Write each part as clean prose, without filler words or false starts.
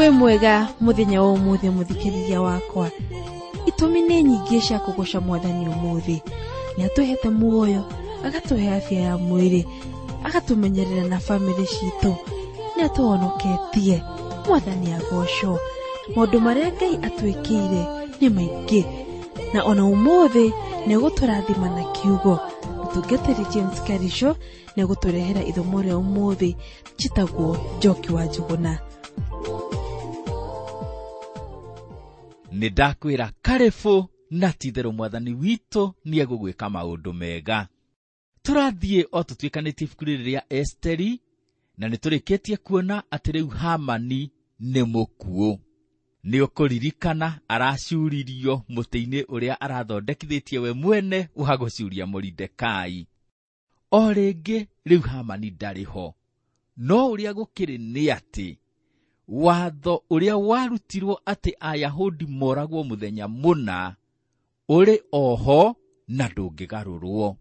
Wĩ mwega mũthenya wa ũmũthĩ mũthikĩrĩria wakwa. Itũmi nĩ nyingĩ cia kũgoca mwathani ũmũthĩ. Nĩ atũhete muoyo, agatũhe afya ya mwĩrĩ, agatũmenyerera na bamĩrĩ citũ, nĩ atũhonoketie. Mwathani agocwo. Maũndũ marĩa Ngai atwĩkĩire nĩ maingĩ, na ona ũmũthĩ nĩ egũtũrathima na kiugo. Mũtungatĩri James Karisho nĩ egũtũrehera ithomo rĩa ũmũthĩ njĩtagwo Njoki wa Njũgũna. Nĩ ndakwĩra karĩbũ na ti-itherũ mwathani witũ nĩ egũgwĩka maũndũ mega. Tũrathiĩ o tũtuĩkanĩtie ibuku rĩrĩ rĩa Esteri, na nĩ tũrĩkĩtie kuona atĩ rĩu Hamani nĩ mũkuũ. Nĩ ũkũririkana aracuririo mũtĩ-inĩ ũrĩa arathondekithĩtie we mwene wa gũcuria Moridekai. O rĩngĩ rĩu Hamani ndarĩ ho. No ũrĩa gũkĩrĩ nĩ atĩ watho ũrĩa warutirwo atĩ Ayahudi moragwo mũthenya mũna ũrĩ oho na ndũngĩgarũrwo.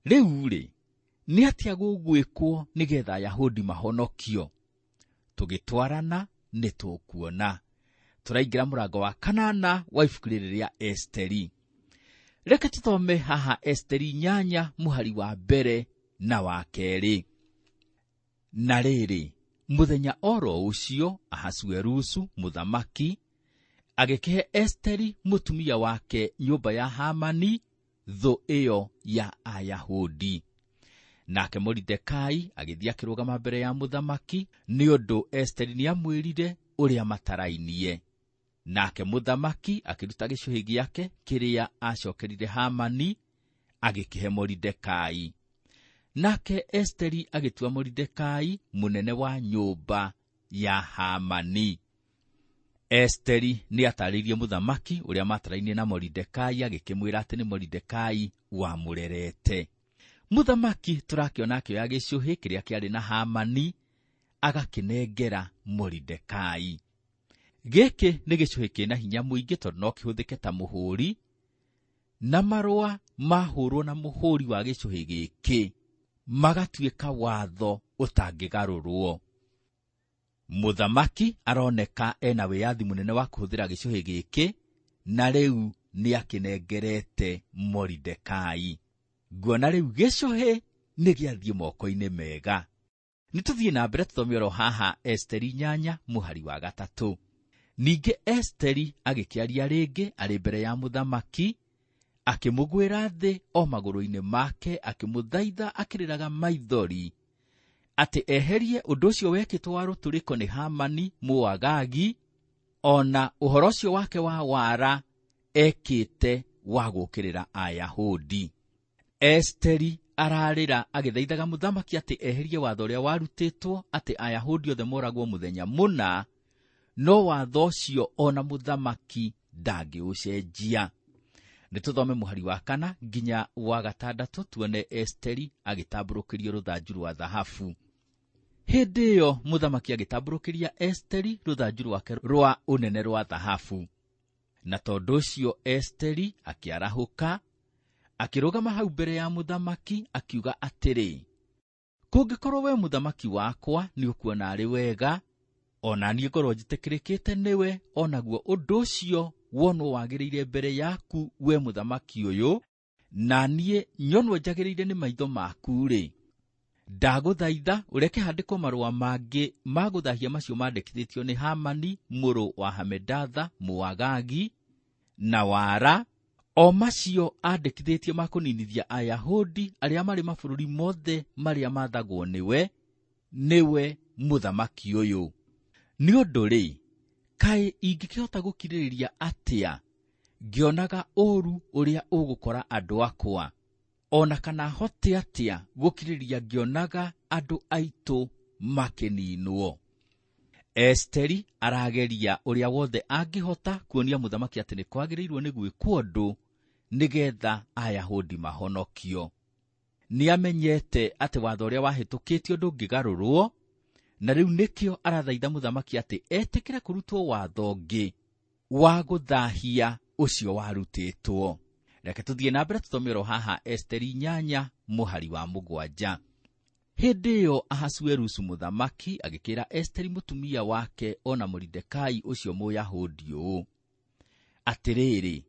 Rĩu rĩ, nĩ atĩa gũgwĩkwo nĩgetha Ayahudi mahonokio? Tũgĩtwarana nĩ tũkuona. Tũraingĩra mũrango wa kanana wa ibuku rĩrĩ rĩa Esteri. Reke tũthome haha Esteri 8 mũhari wa mbere na wa kerĩ. Na rĩrĩ, mũthenya oro ũcio Ahasuerusu mũthamaki agĩkĩhe Esteri mũtumia wake nyũmba ya Hamani, thũ ĩyo ya Ayahudi. Nake Moridekai agĩthiĩ akĩrũgama mbere ya mũthamaki, nĩ ũndũ Esteri nĩamwĩrire ũrĩa matarainie. Nake mũthamaki akĩruta gĩcũhĩ gĩake kĩrĩa acokerire Hamani, agĩkĩhe Moridekai. Nake Esteri agĩtua Moridekai mũnene wa nyũmba ya Hamani. Esteri nĩatarĩirie mũthamaki ũrĩa matarainie na Moridekai, agĩkĩmwĩra atĩ nĩ Moridekai wamũrerete. Mũthamaki tũrakĩona akĩoya gĩcũhĩ kĩrĩa kĩarĩ na Hamani, agakĩnengera Moridekai. Gĩkĩ nĩ gĩcũhĩ kĩna hinya mũingĩ tondũ no kĩhũthĩke ta mũhũri, na marũa mahũrwo na mũhũri wa gĩcũhĩ gĩkĩ magatuĩka watho ũtangĩgarũrwo. Mũthamaki aroneka ena wĩyathi mũnene wa kũhũthĩra gĩcũhĩ gĩkĩ, na rĩu nĩakĩnengerete Moridekai. Nguona rĩu gĩcũhĩ nĩ gĩathiĩ moko-inĩ mega. Nĩ tũthiĩ na mbere tũthome oro haha Esteri 8 mũhari wa 3. Ningĩ Esteri agĩkĩaria rĩngĩ arĩ mbere ya mũthamaki, akĩmũgwĩra thĩ o magũrũ-inĩ make, akĩmũthaitha akĩrĩraga maithori atĩ eherie ũndũ ũcio wekĩtwo wa rũtũrĩko nĩ Hamani Mũagagi, ona ũhoro ũcio wake wa wara ekĩte wa gũũkĩrĩra Ayahudi. Esteri ararĩra agĩthaithaga mũthamaki atĩ eherie watho ũrĩa warutĩtwo atĩ Ayahudi othe moragwo mũthenya mũna, no watho ũcio ona mũthamaki ndangĩũcenjia. Nĩ tũthome mũhari wa 4 nginya wa 6 tuone Esteri agĩtambũrũkĩrio rũthanju rwa thahabu. Hĩndĩ ĩyo mũthamaki agĩtambũrũkĩria Esteri rũthanju rwake rwa ũnene rwa thahabu. Na tondũ ũcio Esteri akĩarahũka, akĩrũgama hau mbere ya mũthamaki akiuga atĩrĩ, kũngĩkorwo we mũthamaki wakwa nĩ ũkuona arĩ wega, ona niĩ ngorwo njĩtĩkĩrĩkĩte nĩwe, onaguo ũndũ ũcio wonwo wagĩrĩire mbere yaku we mũthamaki ũyũ, na niĩ nyonwo njagĩrĩire nĩ maitho maku-rĩ, ndagũthaitha ũreke handĩkwo marũa mangĩ ma gũthahia macio mandĩkithĩtio nĩ Hamani mũrũ wa Hamedatha Mũagagi na wara, o macio andĩkithĩtie ma kũninithia Ayahudi arĩa marĩ mabũrũri mothe marĩa maathagwo nĩwe, nĩwe mũthamaki ũyũ. Nĩ ũndũ rĩ, kaĩ ingĩkĩhota gũkirĩrĩria atĩa ngĩonaga ũũru ũrĩa ũgũkora andũ akwa, ona kana hote atĩa gũkirĩrĩria ngĩonaga andũ aitũ makĩninwo? Esteri arageria ũrĩa wothe angĩhota kuonia mũthamaki atĩ nĩ kwagĩrĩirwo nĩ gwĩkwo ũndũ nĩgetha Ayahudi mahonokio. Nĩamenyete atĩ watho ũrĩa wahĩtũkĩtio ndũngĩgarũrwo, na rĩu nĩkĩo arathaitha mũthamaki atĩ etĩkĩre kũrutwo watho ũngĩ wa gũthahia ũcio warutĩtwo. Reke tũthiĩ na mbere tũthome oro haha Esteri 8 mũhari wa 7. Hĩndĩ ĩyo Ahasuerusu mũthamaki agĩkĩra Esteri mũtumia wake o na Moridekai ũcio Mũyahudi ũũ: Atĩrĩrĩ,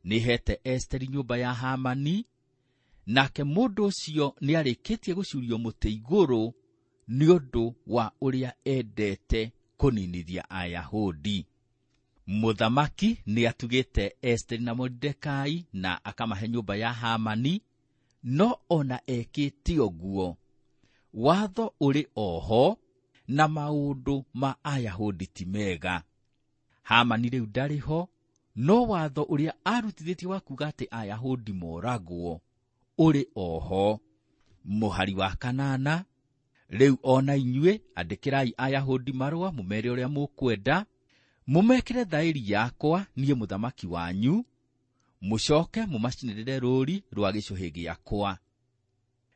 nĩheete Esteri nyũmba ya Hamani, nake mũndũ ũcio nĩarĩkĩtie gũcuurio mũtĩ igũrũ nĩ ũndũ wa ũrĩa endete kũninithia Ayahudi. Mũthamaki nĩatugĩte Esteri na Moridekai na akamahe nyũmba ya Hamani, no ona ekĩte ũguo, watho ũrĩ oho na maũndũ ma Ayahudi ti mega. Hamani rĩu ndarĩ ho, no watho ũrĩa arutithĩtie wa kuuga atĩ Ayahudi moragwo ũrĩ oho. Mũhari wa 8, rĩu ona inyuĩ andĩkĩrai Ayahudi marũa mũmere ũrĩa mũkwenda, mũmekĩre thaĩri yakwa niĩ mũthamaki wanyu, mũcoke mũmacinĩrĩre rũũri rwa gĩcũhĩ gĩakwa.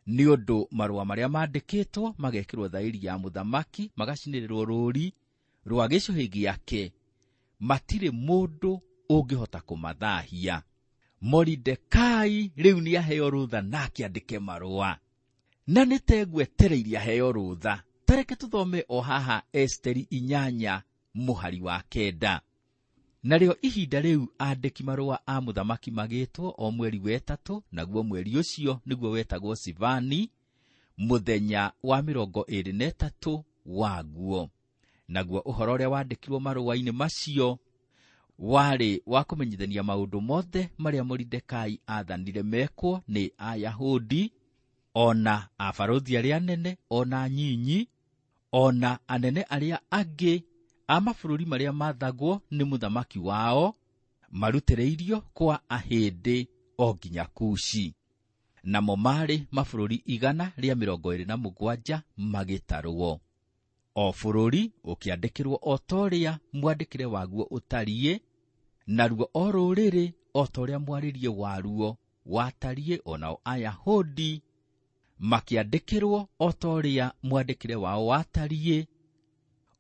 Nĩ ũndũ marũa marĩa mandĩkĩtwo magekĩrwo thaĩri ya mũthamaki magacinĩrĩrwo rũũri rwa gĩcũhĩ gĩake, matirĩ mũndũ ũngĩhota kũmathahia. Moridekai rĩu nĩaheo rũtha na akĩandĩke marũa, na nĩtegwetereirie aheo rũtha. Tareke tũthome o haha Esteri 8 mũhari wa 9. Narĩo ihinda rĩu andĩki marũa a mũthamaki magĩtwo o mweri wa 3, naguo mweri ũcio nĩguo wetagwo Sivani, mũthenya wa 23 waguo. Naguo ũhoro ũrĩa wandĩkirwo marũa-inĩ macio warĩ wa kũmenyithania maũndũ mothe marĩa Moridekai aathanire mekwo nĩ Ayahudi, ona abarũthi arĩa anene, ona nyinyi, ona anene arĩa angĩ a mabũrũri marĩa maathagwo nĩ mũthamaki wao, marutĩrĩirio kwa ahĩndĩ o nginya Kushi. Namo marĩ mabũrũri 127 magĩtarwo. O bũrũri ũkĩandĩkĩrwo o ta ũrĩa mwandĩkĩre waguo ũtariĩ, naruo o rũrĩrĩ o ta ũrĩa mwarĩrie waruo watariĩ, onao Ayahudi makĩandĩkĩrwo o ta ũrĩa mwandĩkĩre wao watariĩ,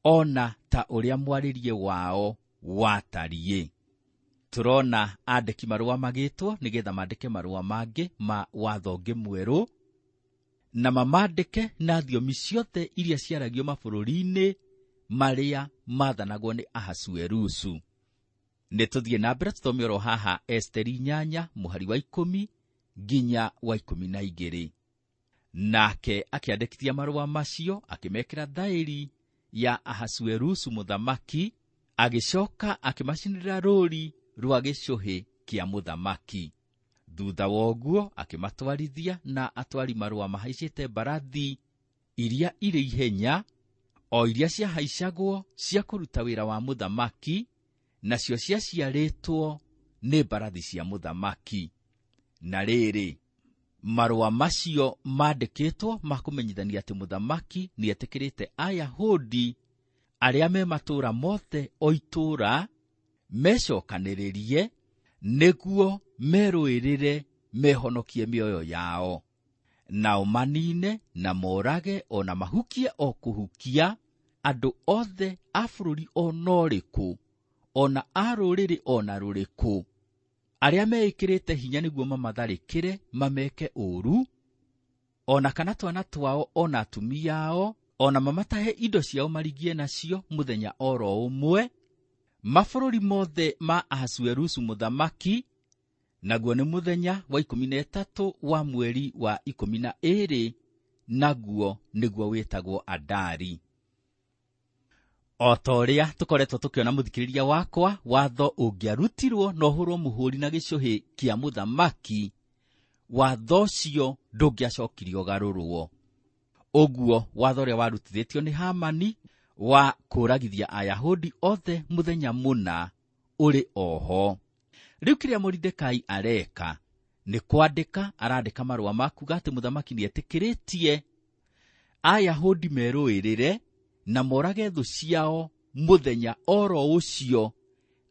ona ta ũrĩa mwarĩrie wao watariĩ. Tũrona andĩki marũa magĩtwo nĩgetha mandĩke marũa mangĩ ma watho ũngĩ mwerũ, na mamandĩke na thiomi ciothe iria ciaragio mabũrũri-inĩ marĩa maathanagwo nĩ Ahasuerusu. Nĩ tũthiĩ na mbere tũthome oro haha Esteri 8 mũhari wa 10 nginya wa 12. Nake akĩandĩkithia marũa macio akĩmekĩra thaĩri ya Ahasuerusu mũthamaki, agĩcoka akĩmacinĩrĩra rũũri rwa gĩcũhĩ kĩa mũthamaki. Thutha wa ũguo akĩmatwarithia na atwari marũa mahaicĩte mbarathi iria irĩ ihenya, o iria ciahaicagwo cia kũruta wĩra wa mũthamaki, nacio ciaciarĩtwo nĩ mbarathi cia mũthamaki. Na rĩrĩ, marũa macio mandĩkĩtwo ma kũmenyithania atĩ mũthamaki nĩetĩkĩrĩte Ayahudi arĩa me matũũra mothe o itũũra mecokanĩrĩrie nĩguo merũĩrĩre mehonokie mĩoyo yao, nao manine na morage o na mahukie o kũhukia andũ othe a bũrũri o na ũrĩkũ, o na a rũrĩrĩ o na rũrĩkũ, arĩa meĩkĩrĩte hinya nĩguo mamatharĩkĩre mameke ũũru, o na kana twana twao o na atumia ao, o na mamatahe indo ciao marigie nacio mũthenya oro ũmwe, mabũrũri mothe ma Ahasuerusu mũthamaki, naguo nĩ mũthenya wa 13 wa mweri wa 12, naguo nĩguo wĩtagwo Adari. O ta ũrĩa tũkoretwo tũkĩona mũthikĩrĩria wakwa, watho ũngĩarutirwo na ũhũrwo mũhũri na gĩcũhĩ kĩa mũthamaki, watho ũcio ndũngĩacokirio ũgarũrwo. Ũguo watho ũrĩa warutithĩtio nĩ Hamani wa kũragithia Ayahudi othe mũthenya mũna ũrĩ oho. Rĩu kĩrĩa Moridekai areka nĩ kwandĩka, arandĩka marũa ma kuuga atĩ mũthamaki nĩetĩkĩrĩtie Ayahudi merũĩrĩre na morage thũ ciao mũthenya oro ũcio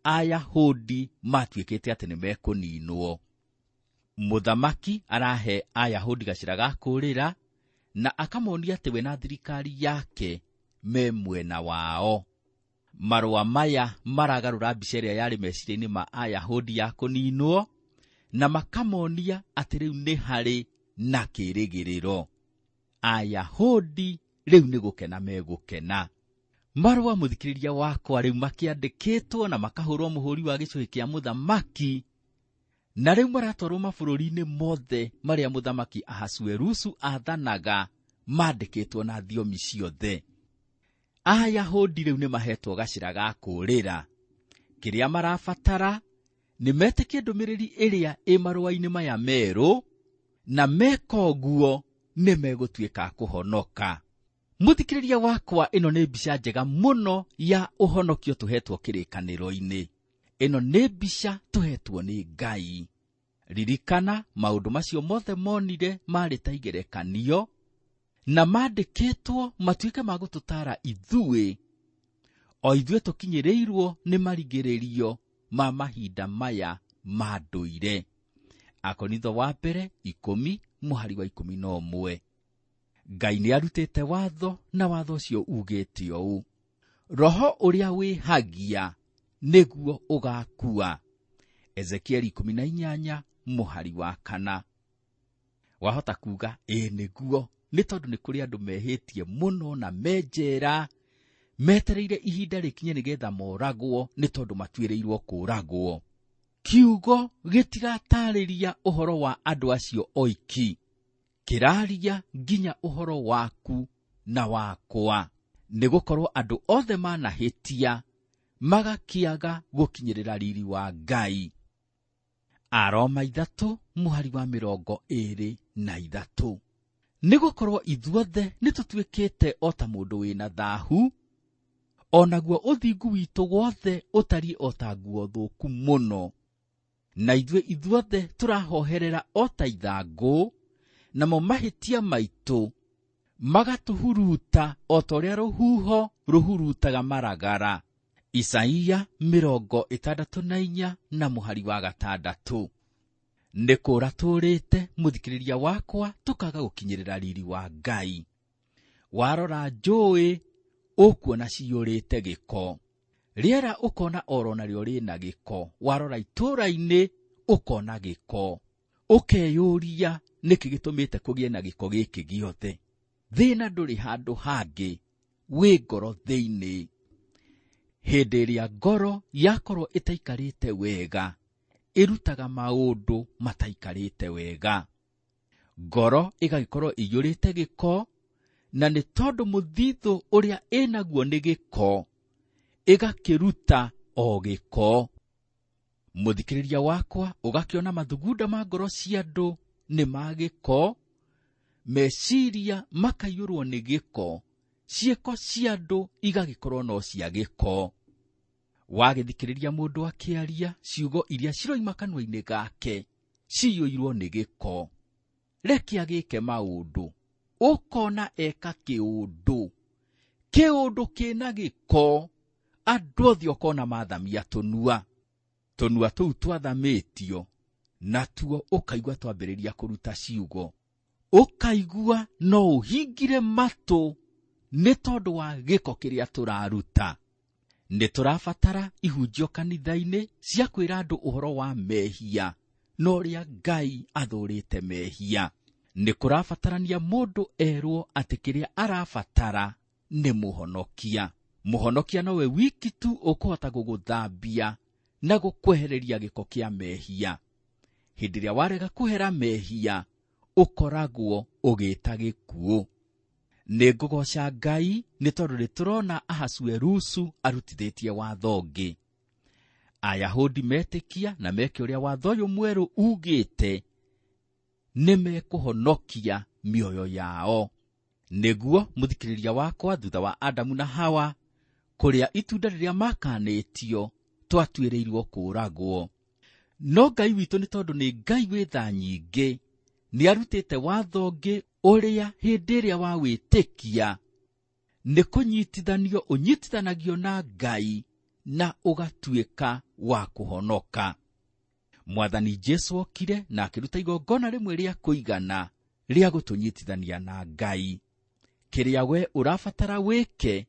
Ayahudi matuĩkĩte atĩ nĩmekũninwo. Mũthamaki arahe Ayahudi gacĩra ga kũũrĩra na akamonia atĩ we na thirikari yake me mwena wao. Marũa maya maragarũra mbica ĩrĩa yarĩ meciria-inĩ ma Ayahudi ya kũninwo, na makamonia atĩ rĩu nĩ harĩ na kĩĩrĩgĩrĩro. Ayahudi rĩu nĩ gũkena megũkena. Marũa mũthikĩrĩria wakwa rĩu makĩandĩkĩtwo na makahũrwo mũhũri wa gĩcũhĩ kĩa mũthamaki, na rĩu maratwarwo mabũrũri-inĩ mothe marĩa mũthamaki Ahasuerusu aathanaga, mandĩkĩtwo na thiomi ciothe. Ayahudi rĩu nĩ mahetwo gacĩra ga kũũrĩra. Kĩrĩa marabatara nĩ metĩkie ndũmĩrĩri ĩrĩa ĩ marũa-inĩ maya merũ, na meka ũguo nĩ megũtuĩka kũhonoka. Mũthikĩrĩria wakwa, ĩno nĩ mbica njega mũno ya ũhonokio tũhetwo kĩrĩkanĩro-inĩ. Ĩno nĩ mbica tũhetwo nĩ Ngai. Ririkana maũndũ macio mothe monire marĩ ta igerekanio na mandĩkĩtwo matuĩke ma gũtũtaara ithuĩ, o ithuĩ tũkinyĩrĩirwo nĩ marigĩrĩrio ma mahinda maya ma ndũire. Akorintho wa mbere 10 mũhari wa 11. Ngai nĩ arutĩte watho, na watho ũcio ugĩte ũũ: roho ũrĩa wĩhagia nĩguo ũgakua. Ezekieli 18 mũhari wa 4. Wahota kuga ĩĩ nĩguo, nĩ tondũ nĩ kũrĩ andũ mehĩtie mũno na menjera metereire ihinda rĩkinye nĩgetha moragwo, nĩ tondũ matuĩrĩirwo kũũragwo. Kiugo gĩtiratarĩria ũhoro wa andũ acio oiki, kĩraria nginya ũhoro waku na wakwa, nĩgũkorwo andũ othe manahĩtia magakĩaga gũkinyĩrĩra riri wa Ngai. Aroma 3 mũhari wa 23. Nĩgũkorwo ithuothe nĩtũtuĩkĩte o ta mũndũ wĩna thahu, o naguo ũthingu witũ wothe ũtariĩ o ta nguo thũku mũno. Na ithuĩ ithuothe tũrahoherera o ta ithangũ, namo mahĩtia maitũ magatũhuruta o ta ũrĩa rũhuho rũhurutaga maragara. Isaia 64 na mũhari wa 6. Nĩ kũũra tũũrĩte mũthikĩrĩria wakwa, tũkaga gũkinyĩrĩra riri wa Ngai. Warora njũĩ ũkuona ciyũrĩte gĩko, rĩera ũkona oro narĩo rĩna gĩko, warora itũũra-inĩ ũkona gĩko, ũkeyũria nĩkĩ gĩtũmĩte kũgĩe na gĩko gĩkĩ gĩothe. Thĩna ndũrĩ handũ hangĩ, wĩ ngoro thĩinĩ. Hĩndĩ ĩrĩa ngoro yakorwo ĩtaikarĩte wega, ĩrutaga maũndũ mataikarĩte wega. Ngoro ĩgagĩkorwo ĩiyũrĩte gĩko, na nĩ tondũ mũthithũ ũrĩa ĩnaguo nĩ gĩko, ĩgakĩruta o gĩko. Mũthikĩrĩria wakwa, ũgakĩona mathugunda ma ngoro cia andũ nĩ ma gĩko, meciria makaiyũrwo nĩ gĩko, ciĩko cia andũ igagĩkorwo no cia gĩko. Wagĩthikĩrĩria mũndũ akĩaria, ciugo iria ciroima kanua-inĩ gake ciyũirwo nĩ gĩko. Reke agĩke maũndũ, ũkona eka kĩũndũ, kĩũndũ kĩna gĩko, andũ othe ũkona mathamia tũnua. Tũnua tũu twathamĩtio, natuo ũkaigua twambĩrĩria kũruta ciugo, ũkaigua no ũhingire matũ nĩ tondũ wa gĩko kĩrĩa tũraruta. Nĩ tũrabatara ihunjio kanitha-inĩ cia kwĩra andũ ũhoro wa mehia na ũrĩa Ngai athũũrĩte mehia. Nĩ kũrabatarania mũndũ erwo atĩ kĩrĩa arabatara nĩ mũhonokia. Mũhonokia nowe wiki tu ũkũhota gũgũthambia na gũkwehereria gĩko kĩa mehia. Hĩndĩ ĩrĩa warega kũhera mehia, ũkoragwo ũgĩta gĩkuũ. Nĩ ngũgooca Ngai nĩ tondũ nĩ tũrona Ahasuerusu arutithĩtie watho ũngĩ. Ayahudi metĩkia na meke ũrĩa watho ũyũ mwerũ ugĩte, nĩ mekũhonokia mĩoyo yao. Nĩguo mũthikĩrĩria wakwa, thutha wa Adamu na Hawa kũrĩa itunda rĩrĩa makanĩtio, twatuĩrĩirwo kũũragwo. No Ngai witũ nĩ tondũ nĩ Ngai wĩ tha nyingĩ, nĩ arutĩte watho ũngĩ ũrĩa hĩndĩ ĩrĩa wawĩtĩkia nĩ kũnyitithanio ũnyitithanagio na Ngai na ũgatuĩka wa kũhonoka. Mwathani Jesũ okire na akĩruta igongona rĩmwe rĩa kũigana rĩa gũtũnyitithania na Ngai. Kĩrĩa we ũrabatara wĩke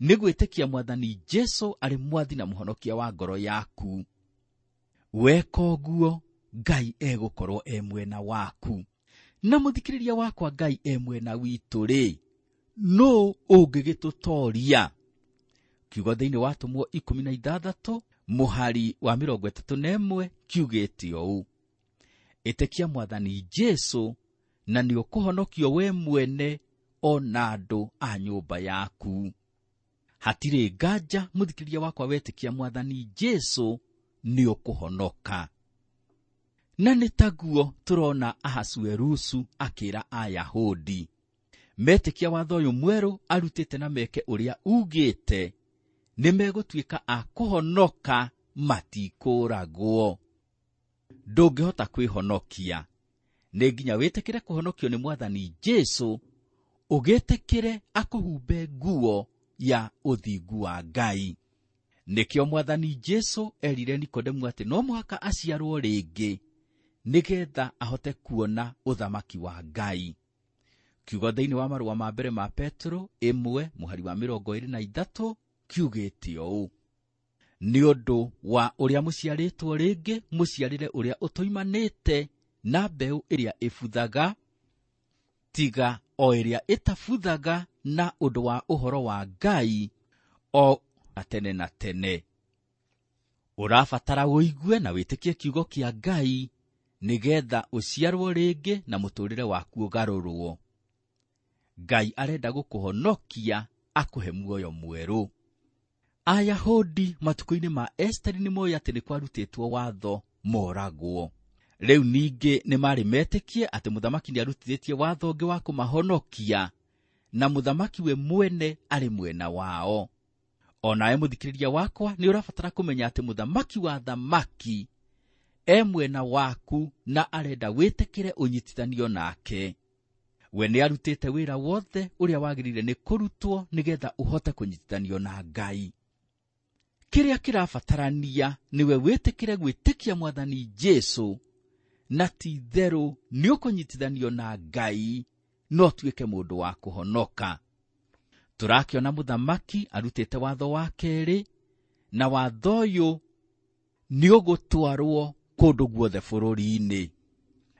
nĩ gwĩtĩkia Mwathani Jesũ arĩ mwathi na mũhonokia wa ngoro yaku. Weka ũguo, Ngai egũkorwo e mwena waku. Na mũthikĩrĩria wakwa, Ngai e mwena witũ rĩ, nũ ũngĩgĩtũtoria? Kiugo thĩinĩ wa Atũmwo 16 mũhari wa 31 kiugĩte ũũ: ĩtĩkia Mwathani Jesũ na nĩ ũkũhonokio we mwene o na andũ a nyũmba yaku. Hatirĩ nganja mũthikĩrĩria wakwa, wetĩkia Mwathani Jesũ nĩ ũkũhonoka. Na nĩ taguo tũrona Ahasuerusu akĩra Ayahudi metĩkia watho ũyũ mwerũ arutĩte na meke ũrĩa ugĩte, nĩ megũtuĩka a kũhonoka, matikũragwo. Ndũngĩhota kwĩhonokia, nĩ nginya wĩtĩkĩre kũhonokio nĩ Mwathani Jesũ, ũgĩtĩkĩre akũhumbe nguo ya ũthingu wa Ngai. Nĩkĩo Mwathani Jesũ erire Nikodemu atĩ no mũhaka aciarwo rĩngĩ nĩgetha ahote kuona ũthamaki wa Ngai. Kiugo thĩinĩ wa marũa ma mbere ma Petro 1 mũhari wa 23 kiugĩte ũũ: nĩ ũndũ wa ũrĩa mũciarĩtwo rĩngĩ, mũciarĩre ũrĩa ũtoimanĩte na mbeũ ĩrĩa ĩbuthaga, tiga o ĩrĩa ĩtabuthaga, na ũndũ wa ũhoro wa Ngai o na tene na tene. Ũrabatara ũigue na wĩtĩkie kiugo kĩa Ngai nĩgetha ũciarwo rĩngĩ na mũtũrĩre waku ũgarũrwo. Ngai arenda gũkũhonokia akũhe muoyo mwerũ. Ayahudi matukũ-inĩ ma Esteri nĩ moĩ atĩ nĩ kwarutĩtwo watho moragwo. Rĩu ningĩ nĩ marĩ metĩkie atĩ mũthamaki nĩ arutithĩtie watho ũngĩ wa kũmahonokia, na mũthamaki we mwene arĩ mwena wao. O nawe mũthikĩrĩria wakwa nĩ ũrabatara kũmenya atĩ mũthamaki wa thamaki e mwena waku na arenda wĩtĩkĩre ũnyitithanio nake. We nĩ arutĩte wĩra wothe ũrĩa wagĩrĩire nĩ kũrutwo nĩgetha ũhote kũnyitithanio na Ngai. Kĩrĩa kĩrabatarania nĩwe wĩtĩkĩre gwĩtĩkia Mwathani Jesũ, na ti itherũ nĩ ũkũnyitithanio na Ngai no ũtuĩke mũndũ wa kũhonoka. Tũrakĩona mũthamaki arutĩte watho wa kerĩ, na watho ũyũ nĩ ũgũtwarwo kũndũ guothe bũrũri-inĩ.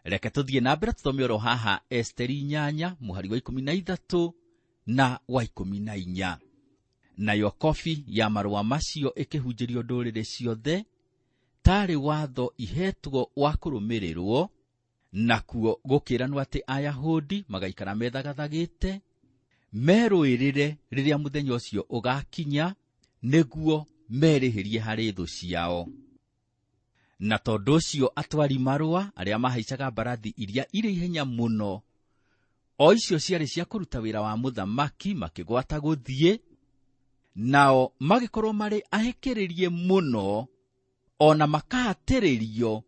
Reke tũthiĩ na mbere tũthome oro haha Esteri 8 mũhari wa 13 na wa 14. Nayo kobi ya marũa macio ĩkĩhunjĩrio ndũrĩrĩ ciothe, tarĩ watho ihetwo wa kũrũmĩrĩrwo, nakuo gũkĩranwo atĩ Ayahudi magaikara methagathagĩte merũĩrĩre rĩrĩa mũthenya ũcio ũgakinya, nĩguo merĩhĩrie harĩ thũ ciao. Na tondũ ũcio atwari marũa arĩa mahaicaga mbarathi iria irĩ ihenya mũno, o icio ciarĩ cia kũruta wĩra wa mũthamaki, makĩgwata gũthiĩ, nao magĩkorwo marĩ ahĩkĩrĩrie mũno, o na makahatĩrĩrio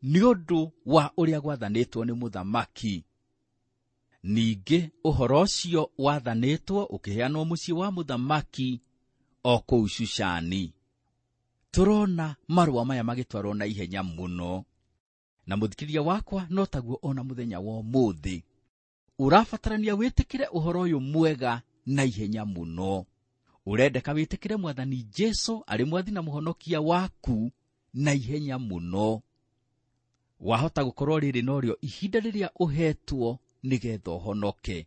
nĩ ũndũ wa ũrĩa gwathanĩtwo nĩ mũthamaki. Ningĩ ũhoro ũcio wathanĩtwo ũkĩheanwo mũciĩ wa mũthamaki o kũu Shushani. Tũrona marũa maya magĩtwarwo na ihenya mũno, na mũthikĩrĩria wakwa no taguo ona mũthenya wa ũmũthĩ ũrabatarania wĩtĩkĩre ũhoro ũyũ mwega na ihenya mũno. Ũrendeka wĩtĩkĩre Mwathani Jesũ arĩ mwathi na mũhonokia waku na ihenya mũno. Wahota gũkorwo rĩrĩ norĩo ihinda rĩrĩa ũhetwo nĩgetha ũhonoke.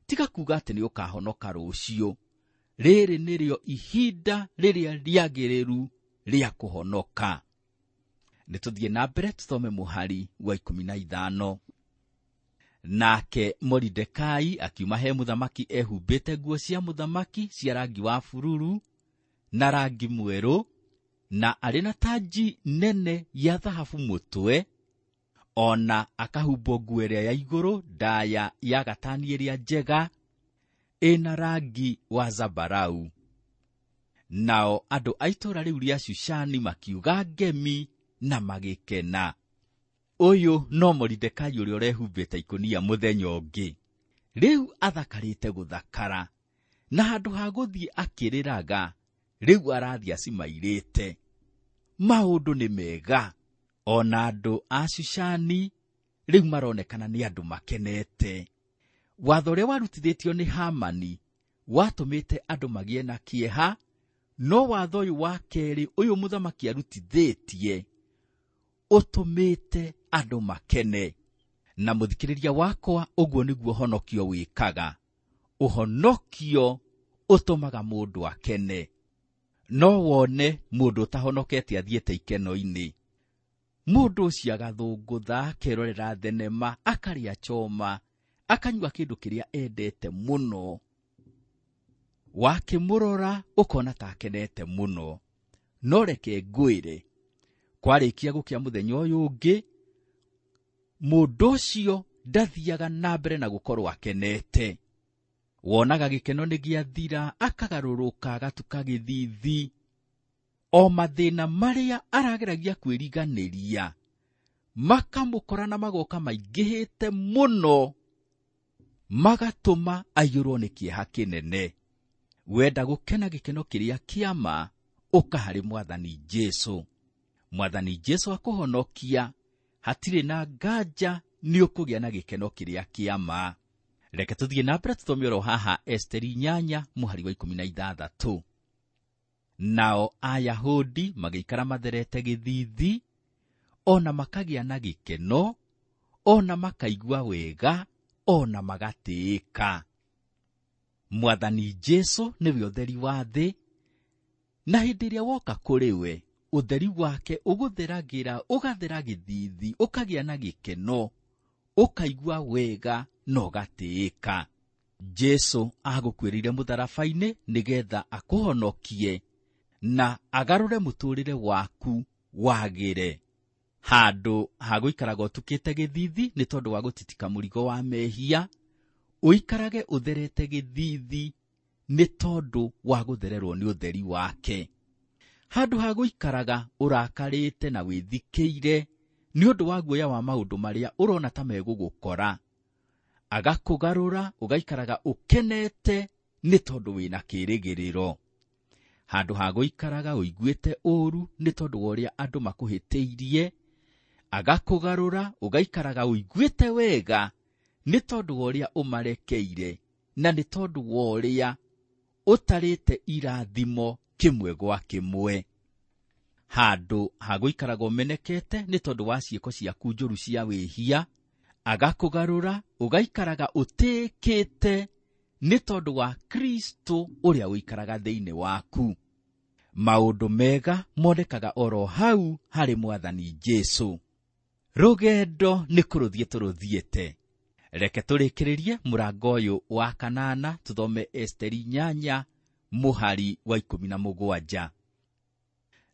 Tiga kuga atĩ nĩ ũkahonoka rũciũ. Rĩrĩ nĩrĩo ihinda rĩrĩa rĩagĩrĩru rĩa kũhonoka. Nĩ tũthiĩ na mbere tũthome mũhari wa 15. Nake Moridekai akiuma he mũthamaki ehumbĩte nguo cia mũthamaki cia rangi wa bururu na rangi mwerũ, na arĩ na tanji nene ya thahabu mũtwe, ona akahumbwo nguo ĩrĩa ya igũrũ ndaya ya gatani ĩrĩa njega ĩna rangi wa zambarau. Nao andũ a itũũra rĩu rĩa Shushani makiuga ngemi na magĩkena. Ũyũ no Moridekai ũrĩa ũrehumbĩte ikũnia mũthenya ũngĩ. Rĩu athakarĩte gũthakara, na handũ ha gũthiĩ akĩrĩraga, rĩu arathiĩ acimairĩte. Maũndũ nĩ mega. Ona andũ a Shushani rĩu maronekana nĩ andũ makenete. Watho ũrĩa warutithĩtio nĩ Hamani watũmĩte andũ magĩe na kĩeha, no watho ũyũ wa kerĩ ũyũ mũthamaki arutithĩtie ũtũmĩte andũ makene. Na mũthikĩrĩria wakwa, ũguo nĩguo ũhonokio wĩkaga. Ũhonokio ũtũmaga mũndũ akene. No wone mũndũ ũtahonokete athiĩte ikeno-inĩ. Mũndũ ũcio agathũngũtha, akerorera thenema, akarĩa choma, akanyua kĩndũ kĩrĩa endete mũno. Wakĩmũrora ũkona ta akenete mũno. No reke ngwĩre, kwarĩkia gũkĩa mũthenya ũyũ ũngĩ, mũndũ ũcio ndathiaga na mbere na gũkorwo akenete. Wonaga gĩkeno nĩ gĩathira, akagarũrũka, agatuka gĩthithi. O mathĩna marĩa arageragia kwĩriganĩria makamũkora na magoka maingĩhĩte mũno, magatũma aiyũrwo nĩ kĩeha kĩnene. Wenda gũkena gĩkeno kĩrĩa kĩama, ũka harĩ Mwathani Jesũ. Mwathani Jesũ akũhonokia, hatirĩ na nganja nĩ ũkũgĩa na gĩkeno kĩrĩa kĩama. Reke tũthiĩ na mbere tũthome oro haha Esteri 8 mũhari wa 16. Nao Ayahudi magĩikara matherete gĩthithi, ona makagĩa na gĩkeno, ona makaigua wega, ona magatĩĩka. Mwathani Jesũ nĩwe ũtheri wa thĩ, na hĩndĩ ĩrĩa woka kũrĩ we, ũtheri wake ũgũtheragĩra, ũgathera gĩthithi, ũkagĩa na gĩkeno, ũkaigua wega na ũgatĩĩka. Jesũ agũkuĩrĩire mũtharaba-inĩ nĩgetha akũhonokie na agarũre mũtũũrĩre waku wagĩre. Handũ ha gũikaraga ũtukĩte gĩthithi nĩ tondũ wa gũtitika mũrigo wa mehia, ũikarage ũtherete gĩthithi nĩ tondũ wa gũthererwo nĩ ũtheri wake. Handũ ha gũikaraga ũrakarĩte na wĩthikĩire nĩ ũndũ wa guoya wa maũndũ marĩa ũrona ta megũgũkora, agakũgarũra ũgaikaraga ũkenete nĩ tondũ wĩna kĩĩrĩgĩrĩro. Handũ ha gũikaraga ũiguĩte ũũru nĩ tondũ wa ũrĩa andũ makũhĩtĩirie, agakũgarũra ũgaikaraga ũiguĩte wega nĩ tondũ wa ũrĩa ũmarekeire na nĩ tondũ wa ũrĩa ũtarĩte irathimo kĩmwe gwa kĩmwe. Handũ ha gũikaraga ũmenekete nĩ tondũ wa ciĩko ciaku njũru cia wĩhia, agakũgarũra ũgaikaraga ũtĩĩkĩte nĩ tondũ wa Kristo ũrĩa ũikaraga thĩinĩ waku. Maũndũ mega monekaga oro hau harĩ Mwathani Jesũ. Rũgendo nĩ kũrũthiĩ tũrũthiĩte. Reke tũrĩkĩrĩrie mũrango ũyũ wa 8, tũthome Esteri 8 mũhari wa 17.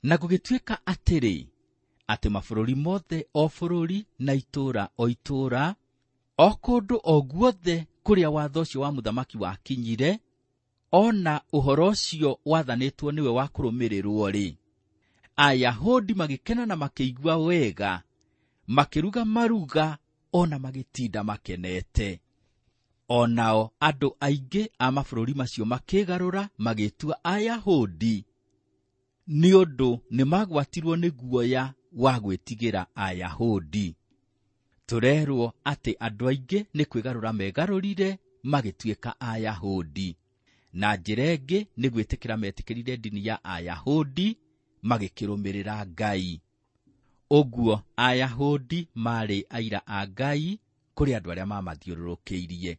Na gũgĩtuĩka atĩrĩ, atĩ mabũrũri mothe o bũrũri na itũũra o itũũra, o kũndũ o guothe kũrĩa watho ũcio wa mũthamaki wakinyire, ona ũhoro ũcio wathanĩtwo nĩwe wa kũrũmĩrĩrwo-rĩ, Ayahudi magĩkena na makĩigua wega, makĩruga maruga ona magĩtinda makenete. Onao andũ aingĩ a mabũrũri macio makĩgarũra magĩtua Ayahudi, nĩ ũndũ nĩmagwatirwo nĩ guoya wa gwĩtigĩra Ayahudi. Tũrerwo atĩ andũ aingĩ nĩ kwĩgarũra megarũrire magĩtuĩka Ayahudi. Na njĩra ĩngĩ nĩ gwĩtĩkĩra metĩkĩrire ndini ya Ayahudi magĩkĩrũmĩrĩra Ngai. Ũguo Ayahudi marĩ aira a Ngai kũrĩ andũ arĩa mamathiũrũrũkĩirie.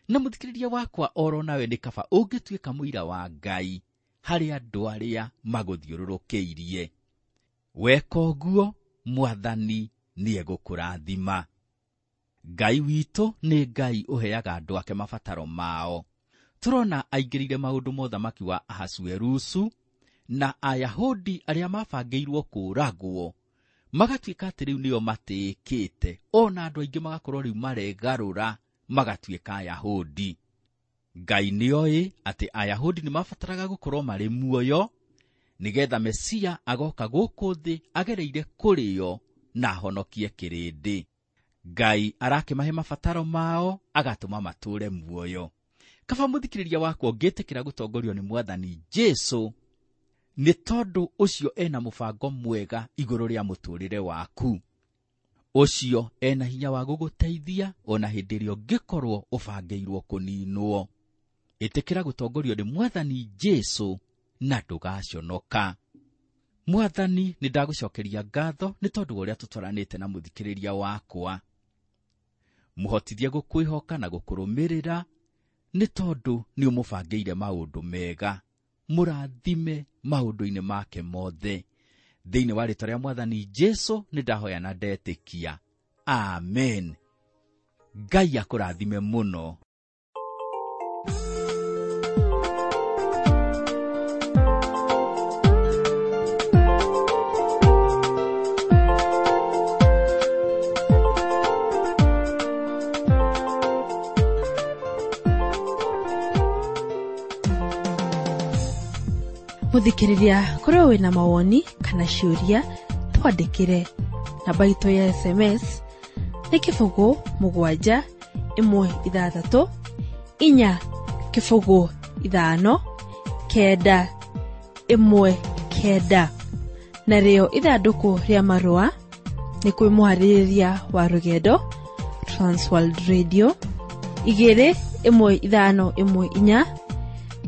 Na mũthikĩrĩria wakwa oro nawe nĩ kaba ũngĩtuĩka mũira wa Ngai harĩ andũ arĩa magũthiũrũrũkĩirie. Weka ũguo, Mwathani nĩegũkũrathima. Ngai witũ nĩ Ngai ũheaga andũ ake mabataro mao. Tũrona aingĩrĩire maũndũ ma ũthamaki wa Ahasuerusu na Ayahudi arĩa mabangĩirwo kũũragwo magatuĩka atĩ rĩu nĩo matĩĩkĩte, ona andũ aingĩ magakorwo rĩu maregarũra magatuĩka Ayahudi. Ngai nĩoĩ atĩ Ayahudi nĩmabataraga gũkorwo marĩ muoyo nĩgetha Mesia agoka gũkũ thĩ agereire kũrĩo na ahonokie kĩrĩndĩ. Ngai arakĩmahe mabataro mao agatũma matũũre muoyo. Kaba mũthikĩrĩria wakwa ũngĩtĩkĩra gũtongorio nĩ Mwathani Jesũ, nĩ tondũ ũcio ena mũbango mwega igũrũ rĩa mũtũũrĩre waku. Ũcio ena hinya wa gũgũteithia ona hĩndĩ ĩrĩa ũngĩkorwo ũbangĩirwo kũninwo. Ĩtĩkĩra gũtongorio nĩ Mwathani Jesũ na ndũgaconoka. Mwathani, nĩ ndagũcokeria ngatho nĩ tondũ wa ũrĩa tũtwaranĩte na mũthikĩrĩria wakwa. Mũhotithie gũkwĩhoka na gũkũrũmĩrĩra, nĩ tondũ nĩ ũmũbangĩire maũndũ mega. Mũrathime maũndũ-inĩ make mothe. Thĩinĩ wa rĩĩtwa rĩa Mwathani Jesu nĩ ndahoya na ndetĩkia. Amen. Ngai akũrathime mũno. Muthikiriria korwo wina mawoni kana ciũria twandĩkĩre. Namba itũ ya SMS nĩ 0 7 1 6 4 0 5 9 1 9. Narĩo ithandũkũ rĩa marũa nĩ kwĩ mũharĩrĩria wa rũgendo Transworld Radio 2 1 5 1 4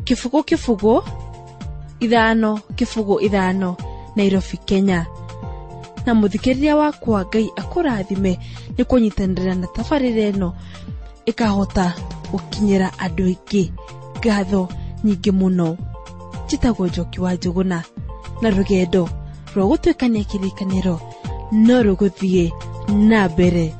0 0 5 0 5 Nairobi, Kenya. Na muthikĩrĩria wakwa, Ngai akũrathime nĩ kũnyitanĩra na tabarĩra ĩno ĩkahota gũkinyĩra andũ aingĩ. Ngatho nyingĩ mũno. Njĩtagwo Njoki wa Njũgũna, na rũgendo rwa gũtuĩkania kĩrĩkanĩro no rũgũthiĩ na mbere.